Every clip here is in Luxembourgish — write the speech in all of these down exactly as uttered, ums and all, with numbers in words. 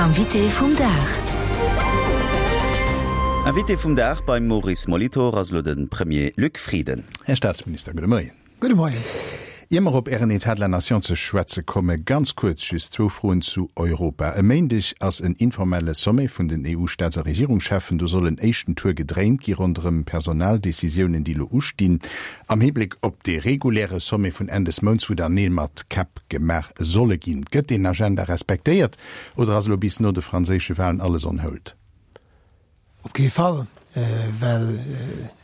Invité vum Dag. Invité vum Dag beim Maurice Molitor ass elo de Premier Luc Frieden. Här Staatsminister, gudde Moien. Gudde Moien. Ier mer op Ären État de la Nation ze schwätze komme, ganz kuerz just zwou Froen zu Europa. E Méindeg ass en informelle Sommet vun den E U-Staats a Regierungscheffen. Do soll en éischten Tour gedréint gi ronderëm Personaldecisiounen, déi elo ustinn, am Hibléck op dee reguläre Sommet vun Enn des Mounts, wou dann Neel mat Käpp gemaach solle ginn. Gëtt deen Agenda respektéiert oder ass elo bis no de franséische Walen alles on hold? Op kee Fall, well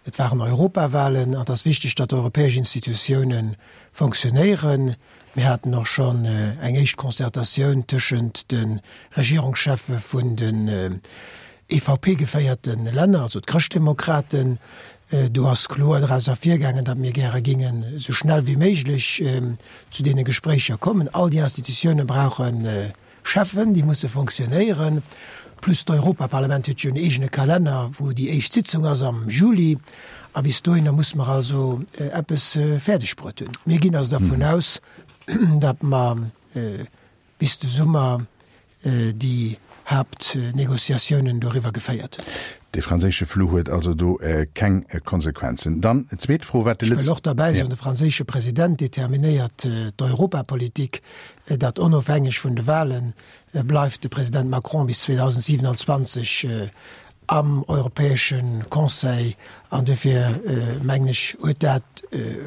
et waren Europawalen an et ass wichteg, datt d'europäesch Institutioune fonctionnéieren. Mir haten och schonn eng éischt Concertatioun tëschent de Regierungscheffe vun den E V P-geféierte Länner, also d'Chrëschtdemokraten. Do ass kloer draus ervirgaangen, datt mir gäre gingen esou schnell wéi méiglech zu deene Gespréicher kommen. All déi Institutioune brauche Cheffen, déi musse fonctionnéieren. Plus d'Europaparlament huet jo en eegene Kalenner, wou déi éischt Sitzung ass am Juli. A bis dohinner musse mer also eppes fäerdeg bruet hunn. Mir ginn also dervun aus, datt mer bis de Summer déi Haaptnegociatiounen doriwwer geféiert hunn. De franséische Flou huet also do keng Konsequenzen. Dann zweet Fro, wat de Ech wëll och derbäi soen, de franséische President determinéiert d'Europapolitik, dat onofhängeg vun de Wahlen bleift de President Macron bis zweedausendsiewenanzwanzeg am Europäesche Conseil an dofir mengen ech huet dat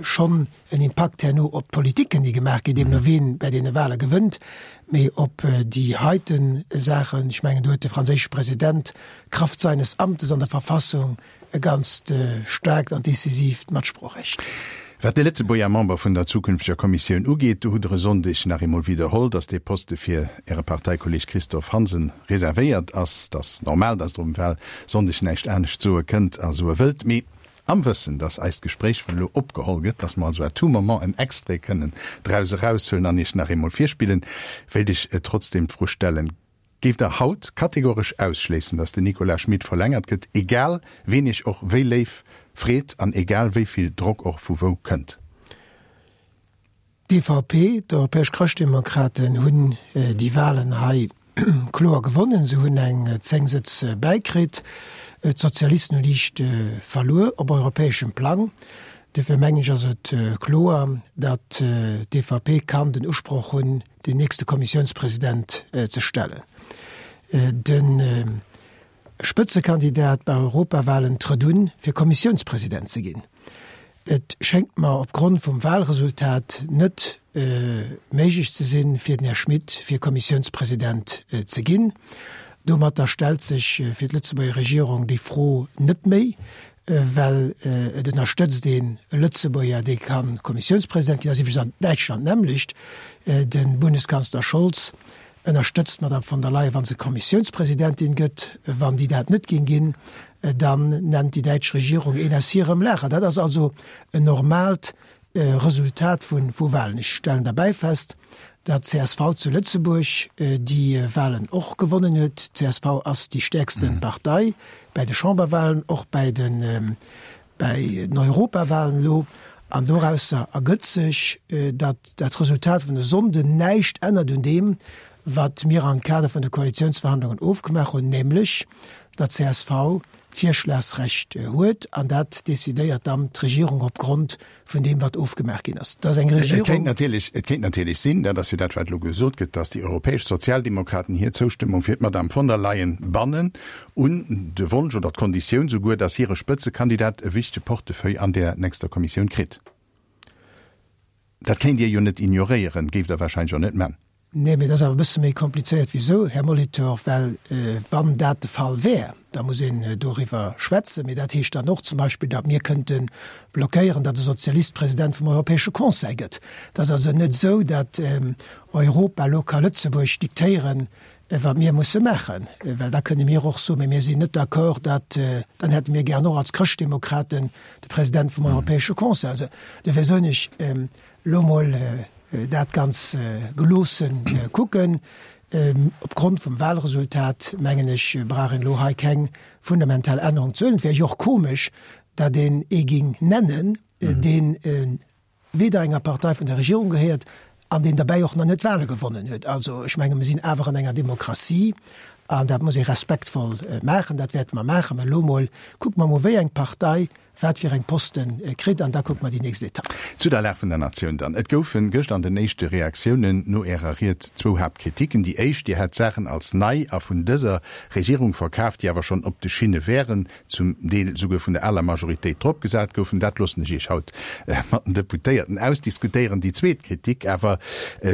schonn en Impakt herno op d'Politiken, déi gemaach ginn, deemno wien bei deene Wahle gewënnt, mee op déi heiten Saachen, ech mengen do huet de franséische President Kraft seines Amtes an der Verfassung e ganzt staarkt an decisiivt Matsproochrecht. Wat de Lëtzebuerger Member vun der zukünfteger Kommissioun ugeet, do hutt Der e Sonndeg nach eemol widderholl, datt dee Poste fir Äre Parteikolleeg Christophe Hansen reservéiert ass. Dat ass normal, datt Der um Wahlsonndeg näischt anescht soe kënnt a soe wëllt. Mee am Wëssen, datt eist Gespréich vun elo opgeholl gëtt, datt mer also à tout moment en Extrait kënnen draus eraushuelen an Iech nach eemol virspillen, wéilt ech trotzdeem d'Fro stellen, Géift Der haut kategoresch ausschléissen, datt den Nicolas Schmit verlängert gëtt, egal ween Iech och wéi léif freet an egal wéi vill Drock och vu wou kënnt? D'E V P, d'Europäesch Chrëschtdemokraten, hunn déi Wahlen hei kloer gewonnen. Se hunn eng zéng Sëtz bäikritt. D'Sozialisten hu liicht verluer op europäeschem Plang. Dofir mengen ech ass et kloer, datt d'E V P kann den Usproch hunn, den nächste Kommissiounspresident ze stellen. De Spëtzekandidat bei Europawahlen trëtt un, fir Kommissiounspresident ze ginn. Et schéngt mer opgrond vum Wahlresultat net méiglech ze sinn, fir den Här Schmit fir Kommissiounspresident ze ginn. Domatter stellt sech fir d'Lëtzebuerger Regierung déi Fro net méi, well et ënnerstëtzt een e Lëtzebuerger, dee ka Kommissiounspresident ginn. Dat ass iwwregens an Däitschland d'nämmlecht. De Bundeskanzler Scholz ënnerstëtzt d'Madame von der Leyen, wa se Kommissiounspresidentin gëtt. Wann déi dat net géing ginn, dann nennt déi däitsch Regierung een aus hirem Lager. Dat ass also en normaalt Resultat vu vu Wahlen. Ech stellen derbäi fest, datt d'C S V zu Lëtzebuerg déi Wahlen och gewonnen huet. D'C S V ass déi stäerkste Partei bei de Chamberwahlen, och bei den bei den Europawahlen elo. An dorausser ergëtt sech, datt dat Resultat vun e Sonnden näischt ännert un deem, wat mir am Kader vun de Koalitiounsverhandlungen ofgemaach hunn, nämlech datt d'C S V d'Virschlagsrecht huet an dat decidéiert dann d'Regierung opgrond vun deem, wat ofgemaach ginn ass. Dat ass eng Et Regierung. kéint natierlech, et kéint natierlech sinn, dat ass jo dat, wat elo gesot gëtt, datt déi europäesch Sozialdemokraten hir Zoustëmmung fir d'Madame von der Leyen bannen un de Wonsch oder d'Konditioun souguer, datt hire Spëtzekandidat e wichtege Portefeuille an der nächster Kommissioun kritt. Dat kéint Dir jo net ignoréieren, géift Der wahrscheinlech och net man. Nee, mee dat ass awer e bësse méi komplizéiert wéi sou, Här Molitor, well wann dat de Fall wär, da muss een doriwwer schwätzen. Mee dat heescht dann och zum Beispill, datt mir kënnte blockéieren, datt e Sozialist President vum Europäesche Conseil gëtt. Dat ass also net esou, datt Europa elo ka Lëtzebuerg diktéieren, wat mir musse maachen, well da kënne mir och soen, mee mir sinn net d'accord, datt, dann hätte mir gären och als Chrëschtdemokraten de President vum Europäesche Conseil. Also dofir soen ech, elo mol dat ganz geloossen kucken. Opgrond vum Wahlresultat, mengen ech, brauch een elo hei keng fundamental Ännerung ze huelen. Et wär jo och komesch, datt een ee géing nennen, deen weder enger Partei vun der Regierung gehéiert, an deen derbäi och nach net d'Wahle gewonnen huet. Also ech menge mir sinn awer an enger Demokratie an dat muss ee respektvoll maachen. Dat wäerte mer maachen. Mä elo mol kucke mer mol, wéi eng Partei wat fir eng Poste kritt an da kucke mer déi nächst Etapp. Zu der Lag vun der Natioun dann. Et goufen gëscht an den éischte Reaktiounen no Ärer Ried zwou Haaptkritiken. Déi éischt, Dir hätt Saachen als nei a vun dëser Regierung verkaaft, déi awer schonn op de Schinne wären, zum Deel souguer vun der aler Majoritéit dropgesat goufen. Dat loossen ech Iech haut mat den Deputéierten ausdiskutéieren. Déi zweet Kritik awer,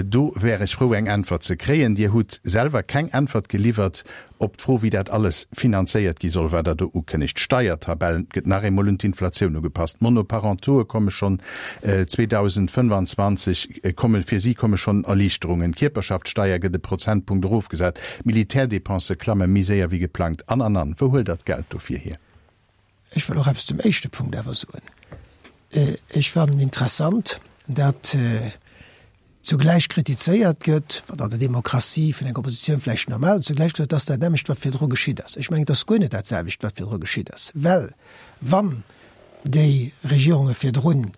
do wär ech frou eng Äntwert ze kréien, Dir hutt selwer keng Äntwert geliwwert op d'Fro, wéi dat alles finanzéiert gi soll, wat Der do ukënnegt. D'Steiertabell gëtt nach eemol un d'Inflatioun ugepasst, d'Monoparentoe komme schonn zweedausendfënnefanzwanzeg, komme fir si komme schonn Erliichterungen, d'Kierperschaftssteier gëtt e Prozentpunkt erofgesat, d'Militärdepensë klamme méi séier wéi geplangt, an, an, an. Wou huelt Der d'Geld dofir hier? Ech wëll och eppes zum éischte Punkt awer soen. Ech fannen interessant, datt zugläich kritizéiert gëtt, wat an der Demokratie vun enger Oppositioun vläicht normal ass, zugläich gesot, dass dat nämmlecht, wat virdru geschitt ass. Ech mengen, et ass guer net dat selwecht, wat virdru geschitt ass, well wann déi Regierunge virdrun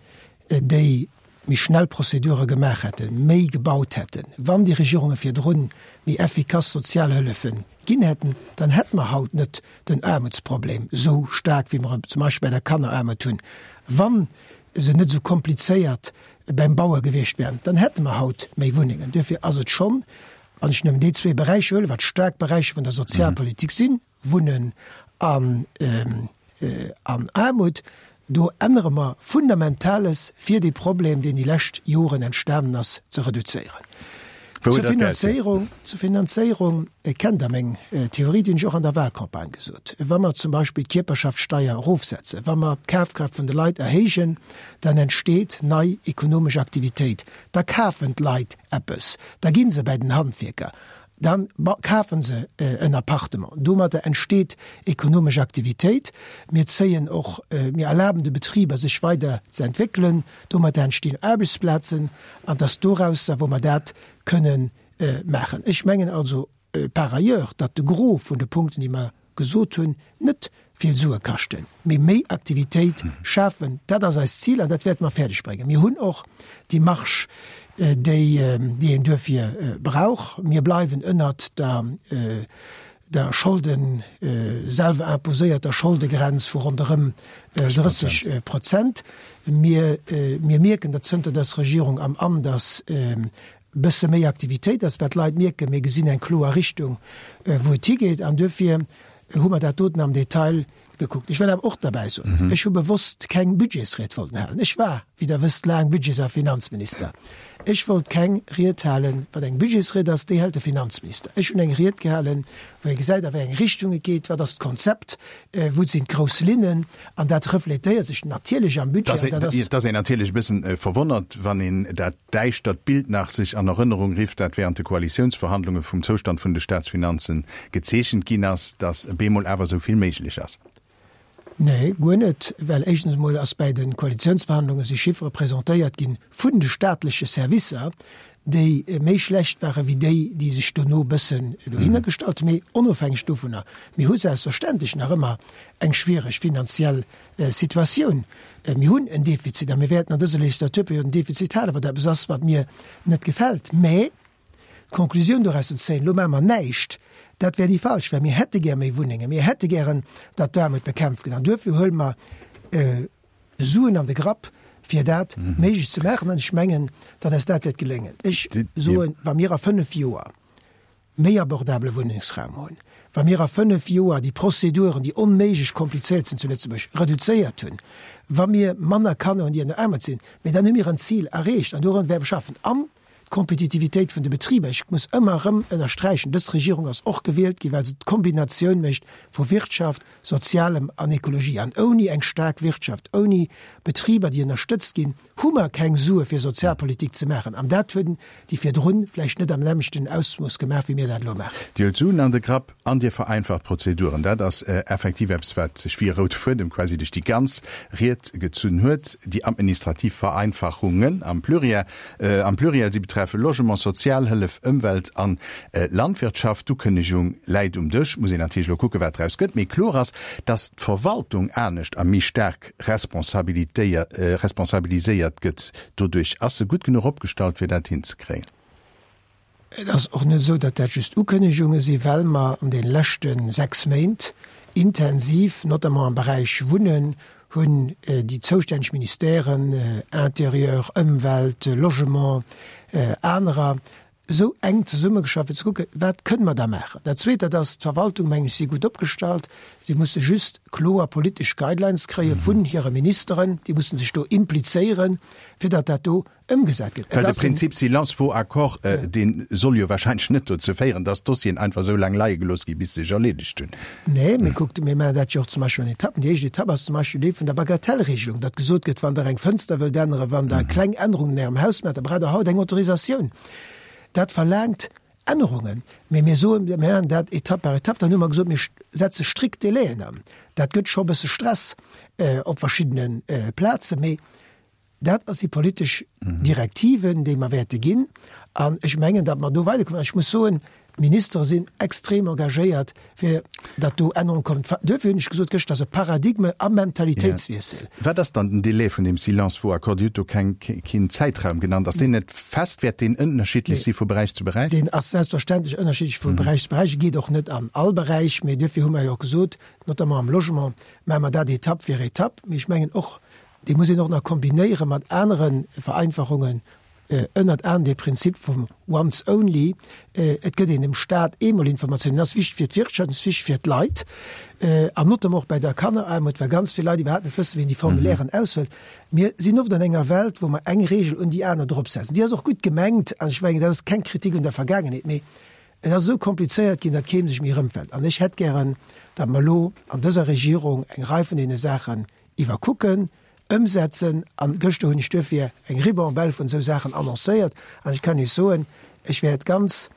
déi méi schnell Prozedure gemaach hätten, méi gebaut hätten, wann déi Regierunge virdrun méi effikass Sozialhëllefe ginn hätten, dann hätte mer haut net den Aarmutsproblem esou staark, wéi mer e zum Beispill bei der Kanneraarmut hunn. Wann se net esou komplizéiert beim Baue gewiescht wären, dann hätte mer haut méi Wunnengen. Duerfir ass et schonn, wann ech nëmmen déi zwee Beräicher huelen, wat staark Beräicher vun der Sozialpolitik sinn, Wunnen an an Aarmut, do ännere mer Fundamentales, fir dee Problem, deen déi lescht Joren entstanen ass, ze reduzéieren. Zur Finanzéierung, zur Finanzéierung kennt Der meng Theorie, déi hunn ech och an der Wahlcampagne gesot. Wa mer zum Beispill d'Kierperschaftssteier erofsetzen, wa mer d'Kafkraaft vun de Leit erhéijen, dann entsteet nei ekonomesch Aktivitéit, da kafen d'Leit eppes, da gi se bäi den Handwierker, da kafe se en Appartement. Domadder entsteet ekonomesch Aktivitéit. Mir zéien och, mir erlaben de Betriber, sech weider ze entwéckelen. Domadder entstinn Aarbechtsplazen an dass dorausser, wou mer dat kënnen maachen. Ech mengen also par ailleurs, datt de Gros vun de Punkten, déi mer gesot hunn, net vill Sue kaschten, mee méi Aktivitéit schafen. Dat ass eist Zil an dat wäerte mer fäerdeg bréngen. Mir hunn och déi Marge, déi een duerfir brauch. Mir bleiwen ënnert der der Scholden, selwer imposéierter Scholdegrenz vu ronderëm drësseg Prozent. Mir mierken, datt zënter dës Regierung am Amt ass, bësse méi Aktivitéit ass, well d'Leit mierken, mir gesinn eng kloer Richtung, wou et higeet. An duerfir hu mer dat doten am Detail gekuckt. Ech wëll awer och derbäi soen, ech hu bewosst keng Budgetsried wollten halen. Ech war, wéi Der wësst, laang Budgets a Finanzminister. Ech wollt keng Ried halen, wat eng Budgetsried ass, déi hält de Finanzminister. Ech hunn eng Ried gehalen, wou ee gesäit, a wéi eng Richtung et geet, wat ass d'Konzept, wou sinn d'grouss Linnen. An dat refletéiert sech natierlech am Budget. An dat ass. Et ass een natierlech e bëssen verwonnert, wann een dat däischtert Bild nach sech an Erënnerung rifft, dat während de Koalitiounsverhandlunge vum Zoustand vun de Staatsfinanzen gezeechent ginn ass, datt bemol awer esou vill méiglech ass. Nee, guer net, well éischtens emol ass bäi de Koalitiounsverhandlunge si Chiffere presentéiert ginn vun de staatleche Servicer, déi méi schlecht ware wéi déi, déi sech dono e bëssen dohinner gestallt hunn. Mee onofhängeg dovunner, mir hu selbstverständlech nach ëmmer eng schwiereg finanziell Situatioun. Mir hunn en Defizit a mir wäerten an dëser Legislaturperiod en Defizit halen, wat eppes ass, wat mir net gefält. Mä d'Konklusioun doraus ze zéien, elo maache mer näischt, dat wär déi falsch, well mir hätte gär méi Wunnengen, mir hätte gären, datt d'Aarmut bekämpft gëtt. An duerfir huele mer Suen an de Grapp, fir dat méiglech ze maachen. An ech mengen, datt eis dat wäert geléngen. Ech soen, wa mir a fënnef Joer méi abordabele Wunnengsraum hunn, wa mir a fënnef Joer déi Prozeduren, déi onméiglech komplizéiert sinn zu Lëtzebuerg, reduzéiert hunn, wa mir manner Kanner hunn, déi an der Aarmut sinn, mä dann hu mir en Zil erreecht an dorun wäerte mer schaffen. An d'Kompetitivitéit vun de Betriber, ech muss ëmmer erëm ënnersträichen, dës Regierung ass och gewielt ginn, well se d'Kombinatioun mécht vu Wirtschaft, Sozialem an Ekologie. An ouni eng staark Wirtschaft, ouni Betriber, déi ënnerstëtzt ginn, hu mer keng Sue fir Sozialpolitik ze maachen. An dat hunn déi virdrun vläicht net am nämmlechten Ausmooss gemaach, wéi mir dat elo maachen. Dir huelt Suen an de Grapp an Dir vereinfacht Prozeduren. Dat ass effektiv eppes, wat sech wéi e roude Fuedem quasi duerch déi ganz Ried gezunn huet, déi administrativ Vereinfachungen am Pluriel. Am Pluriel, si betreffen treffen, Logement, Sozialhëllef, Ëmwelt an Landwirtschaft. D'Ukënnegung läit um Dësch, muss een natierlech elo kucken, wat draus gëtt. Mee kloer ass, datt d'Verwaltung anescht a méi staark responsabiliséiert gëtt doduerch. Ass se gutt genuch opgestallt, fir dat hinzekréien? Et ass och net esou, datt dat just Ukënnegunge sinn, well mer an deene leschte sechs Méint intensiv, notamment am Beräich Wunnen, hunn déi zoustänneg Ministèren, Intérieur, Ëmwelt, Logement, anerer, esou enk zesummegeschafft, fir ze kucken, wat kënne mer da maachen. Dat Zweet, dat ass, d'Verwaltung, mengen ech, si gutt opgestallt. Si musse just kloer politesch Guidelines kréie vun hire Ministeren. Déi musse sech do implizéieren, fir datt dat do ëmgesat gëtt. Well de Prinzip silence vaut accord, dee soll jo wahrscheinlech net dozou féieren, datt d'Dossieren einfach esou laang leie gelooss gi bis se sech erleedegt hunn. Nee, mee kuckt, mir maachen dat jo och zum Beispill an Etappen. Déi éischt Etapp ass zum Beispill déi vun der Bagatellregelung, datt gesot gëtt, wann Der eng Fënster wëllt änneren, wann Der kleng Ännerungen an Ärem Haus maacht, da braucht Der haut eng Autorisatioun. Dat verlaangt Ännerungen. Mee mir soen, mir maachen dat Etapp par Etapp. Dann hu mer gesot, mir setze strikt Délaiën an. Dat gëtt scho e bësse Stress op verschiddene Plazen. Mee Dat si politesch Direktiven, déi mer wäerte ginn. An ech mengen, datt mer do weiderkommen. An ech muss soen, d'Ministere sinn extrem engagéiert, fir datt do Ännerunge kommen. Duerfir hunn ech gesot gëschter, dat ass e Paradigme a Mentalitéitswiessel. Wat ass dann den Délai vun deem Silence vaut accord? Dir hutt do keng, keen Zäitraum genannt. Ass deen net fest? Wäert deen ënnerschiddlech si vu Beräich zu Beräich? Deen ass selbstverständlech ënnerschiddlech vu Beräich zu Beräich. E geet och net an all Beräich. Mee duerfir hu mer jo och gesot, notamment am Logement maache mer dat Etapp fir Etapp. Mee ech mengen och, Dee muss een och nach kombinéiere mat anere Vereinfachungen, ënnert anerem dee Prinzip vum once only. Et gëtt een dem Stat eemol Informatiounen. Dat ass wichteg fir d'Wirtschaft, dat ass wichteg fir d'Leit, an notamment och bei der Kanneraarmut, well ganz vill Leit iwwerhaapt net wëssen, wéi een déi Formulairen ausfëllt. Mir sinn oft an enger Welt, wou mer eng Regel un déi aner dropsetzen. Déi ass och gutt gemengt, an ech mengen, dat ass keng Kritik un der Vergaangenheet, mee et ass esou komplizéiert ginn, datt kee sech méi erëmfënnt. An ech hätt gären, datt mer elo an dëser Regierung eng Rei vun deene Saachen iwwerkucken, ëmsetzen. An gëschter hunn ech duerfir eng Ribambelle vun esou Saachen annoncéiert. An ech kann Iech soen, ech wäert ganz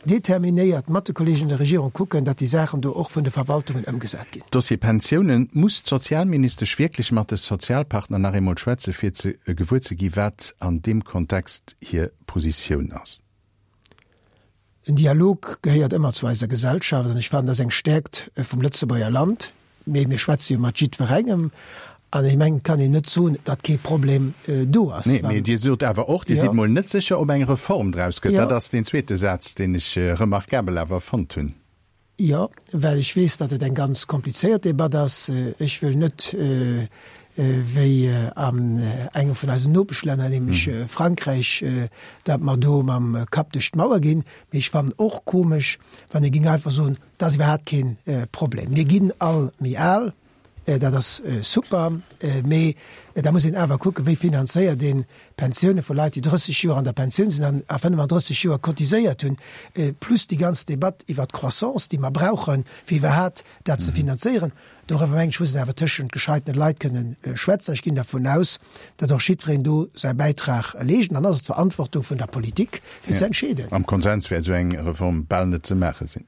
determinéiert mat de Kollegen an der Regierung kucken, datt déi Saachen do och vun de Verwaltungen ëmgesat ginn. Dossier Pensiounen, Muss d'Sozialministesch wierklech mat de Sozialpartner nach eemol schwätze fir ze gewuer ze gi wat an deem Kontext hir Positioun ass? Den Dialog gehéiert ëmmer zu eiser Gesellschaft an ech fannen, dat ass eng Stäerkt vum Lëtzebuerger Land. Mee mir schwätze jo mat jiddwerengem an ech mengen, et kann een net soen, datt kee Problem do ass. Nee, mee Dir sot awer och, Dir sidd mol net sécher, ob eng Reform draus gëtt. Dat ass deen zweete Saz, deen ech remarkabel awer fonnt hunn. Jo, well ech weess, datt et eng ganz komplizéiert Debatt ass. Ech wëll net, wéi an engem vun eisen Nopeschlänner, nämlech Frankräich, datt mer do mam Kapp duerch d'Mauer ginn. Mee ech fannen och komesch, wann ee géing einfach soen, dat ass iwwerhaapt kee Problem. Mir ginn all méi al. Dat ass super, mee da muss een awer kucken, wéi finanzéiert een d'Pensioune vu Leit, déi drësseg Joer an der Pensioun sinn an a fënnefandrësseg Joer cotiséiert hunn, plus déi ganz Debatt iwwert d'Croissance, déi mer brauchen, fir iwwerhaat dat ze finanzéieren. Doriwwer, mengen ech, muss een awer tëschent gescheitene Leit kënnen schwätzen. Ech ginn dervun aus, datt och jiddwereen do säi Bäitrag leescht. An dann ass et d'Verantwortung vun der Politik, fir ze entscheeden. Am Konsens wäert esou eng Reform bal net ze maache sinn.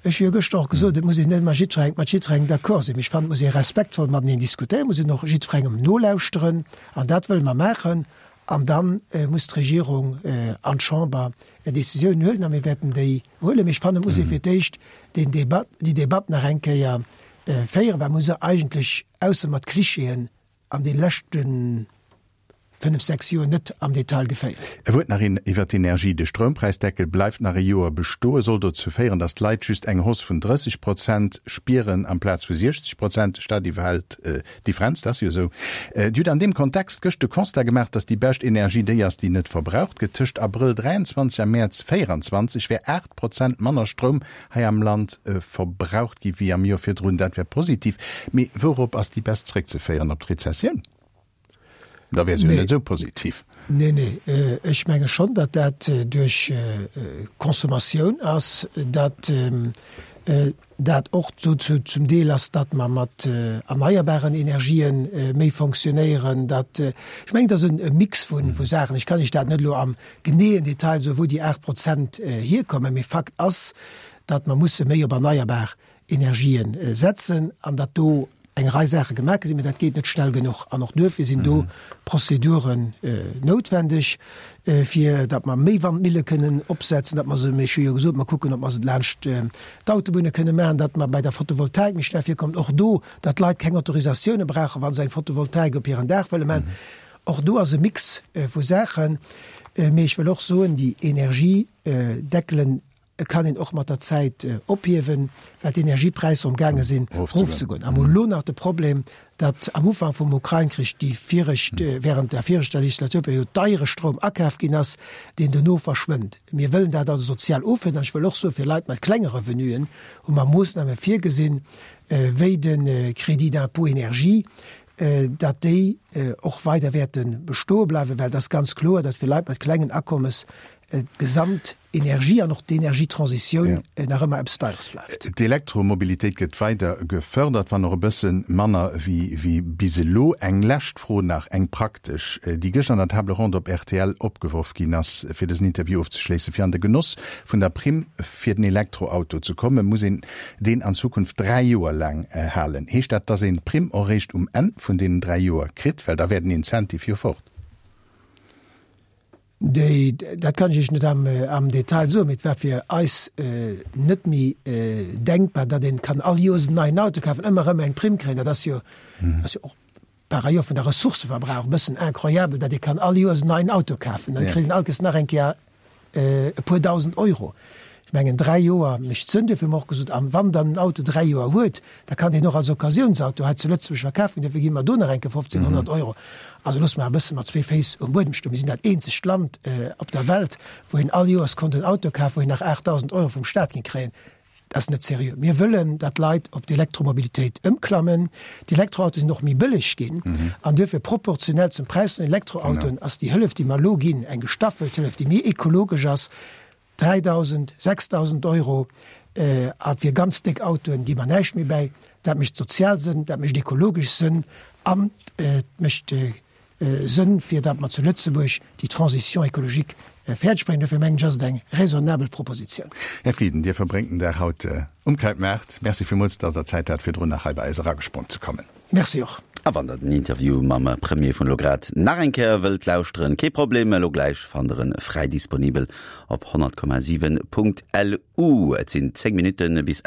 Ech hu jo gëschter och gesot, et muss een net mat jiddwerengem, mat jiddwerengem d'accord sinn, mee ech fannen, et muss ee respektvoll mateneen diskutéieren, et muss een och jiddwerengem nolauschteren, an dat wëlle mer maachen. An da muss d'Regierung an d'Chamber Décisiounen huelen, a mir wäerten déi huelen. Mee ech fannen, et muss ee fir d'éischt deen Debat, déi Debatt nach eng Kéier féieren, well mer hu se eigentlech, ausser mat Klischeeën, an de leschten, fënnef, sechs Joer net am Detail geféiert. E Wuert nach iwwer d'Energie, De Stroumpräisdeckel bleift nach e Joer bestoen, soll dozou féieren, datt d'Leit just eng Hausse vun drësseg Prozent spieren amplaz vu siechzeg Prozent. De Staat iwwerhält d'Differenz, dat ass jo esou. Dir hutt an deem Kontext gëscht de Constat gemaach, datt déi bescht Energie déi ass, déi net verbraucht gëtt. Tëscht Abrëll dräianzwanzeg a Mäerz véieranzwanzeg wär aacht Prozent manner Stroum hei am Land verbraucht gi wéi am Joer virdrun. Dat wär positiv. Mee wourop ass déi Baisse zréckzeféieren? Op d'Rezessioun? Da wär se jo net esou positiv. Nee, nee, ech menge schonn, datt dat duerch Consommatioun ass, datt dat och dozou zum Deel ass, datt mer mat erneierbaren Energië méi fonctionnéieren, datt, ech mengen, et ass e Mix vu Saachen. Ech kann Iech dat net elo am geneeën Detail soen, wou déi aacht Prozent hierkommen, mee Fakt ass, datt mer musse méi op erneierbar Energië setzen an datt do eng Rei Saache gemaach gi sinn, mä dat geet net schnell genuch. An och duerfir sinn do Prozeduren noutwendeg, fir datt mer méi Wandmille kënnen opsetzen, datt mer se, ech hu jo gesot, mer kucken, ob mer se laanscht d'Autobunne kënne maachen, datt mer bei der Photovoltaik méi schnell virkommen, och do, datt d'Leit keng Autorisatioune brauchen, wa se eng Photovoltaik op hiren Daach wëlle maachen. Och do ass e Mix vu Saachen. Mee ech wëll och soen, déi Energiedeckelen kann een och mat der Zäit ophiewen, well d'Energiepräisser um gaange sinn erofzegoen. A mer hunn elo nach de Problem, datt am Ufank vum Ukrain-Krich déi viregt, während der viregter Legislaturperiod deiere Stroum akaf ginn ass, deen dono verschwënnt. Mir wëllen dat also sozial offiederen. An ech wëll och soen, fir Leit mat klenge Revenuen hu mer Moossname virgesinn, wéi de Crédit d'impôt énergie, datt déi och weider wäerte bestoe bleiwen, well et ass ganz kloer, datt fir Leit mat klengen Akommes d'gesamt Energie an och d'Energietransitioun nach ëmmer eppes Deieres bleift. D'Elektromobilitéit gëtt weider gefërdert, wann och e bësse manner wéi bis elo. Eng lescht Fro nach, eng praktesch, déi gëschter an der Table ronde op rtl opgeworf ginn ass, fir dësen Interview ofzeschléissen, Fir an de Genoss vun der Primm fir den Elektroauto ze kommen, muss een deen an Zukunft dräi Joer laang halen. Heescht dat, dass een d'Primm och eréischt um Enn vun deenen dräi Joer kritt? Well da wär den Incentive jo fort. Déi, dat kann ech Iech net am, am Detail soen, mee et war fir eis net méi denkbar, datt een kann all Joers en neien Auto kafen, ëmmer erëm eng Primm kréien. Dat ass jo, ass jo och par ailleurs vun der Ressourcëverbrauch e bëssen incroyabel, datt ee kann all Joers en neien Auto kafen. Da kritt een all Kéiers nach eng Kéier e puer Dausend Euro. Ech mengen, dräi Joer mécht Sënn. Duerfir hu mer och gesot, a wann dann en Auto dräi Joer huet, da kann deen och als Occasiounsauto hei zu Lëtzebuerg verkaf ginn. Duerfir gi mer do nach eng Kéier fofzénghonnert Euro. Also loosse mer e bësse mat zwee Féiss um Buedem stoen. Mir sinn dat eenzegt Land op der Welt, wou een all Joers konnt en Auto kafen, wou een nach aachtdausend Euro vum Staat géing kréien. Dat ass net seriö. Mir wëllen, datt d'Leit op d'Elektromobilitéit ëmklammen. D'Elektroautoe sinn och méi bëlleg ginn an duerfir proportionell zum Präis vun den Elektroautoen ass déi Hëllef, déi mer elo ginn, eng gestaffelt Hëllef, déi méi ekologesch ass, dräidausend, sechsdausend Euro. A fir ganz déck Autoen gi mer näischt méi bäi. Dat mécht sozial Sënn, dat mécht ekologesch Sënn an et mécht Sënn, fir datt mer zu Lëtzebuerg déi Transition écologique fäerdeg bréngen. Dofir mengen ech, ass et eng raisonnabel Propositioun. Här Frieden, Dir verbréngt den Dag haut um Krautmaart. Merci villmools, datt Der Zäit hat, virdrun nach hei bei eis eragesprong ze kommen. Merci och. A wann der den Interview mam Premier vun elo grad nach eng Kéier wëllt lauschteren, kee Problem, elo gläich fannt der en fräi disponibel op honnert Komma siwen Punkt LU. Et sinn zéng Minutte bis.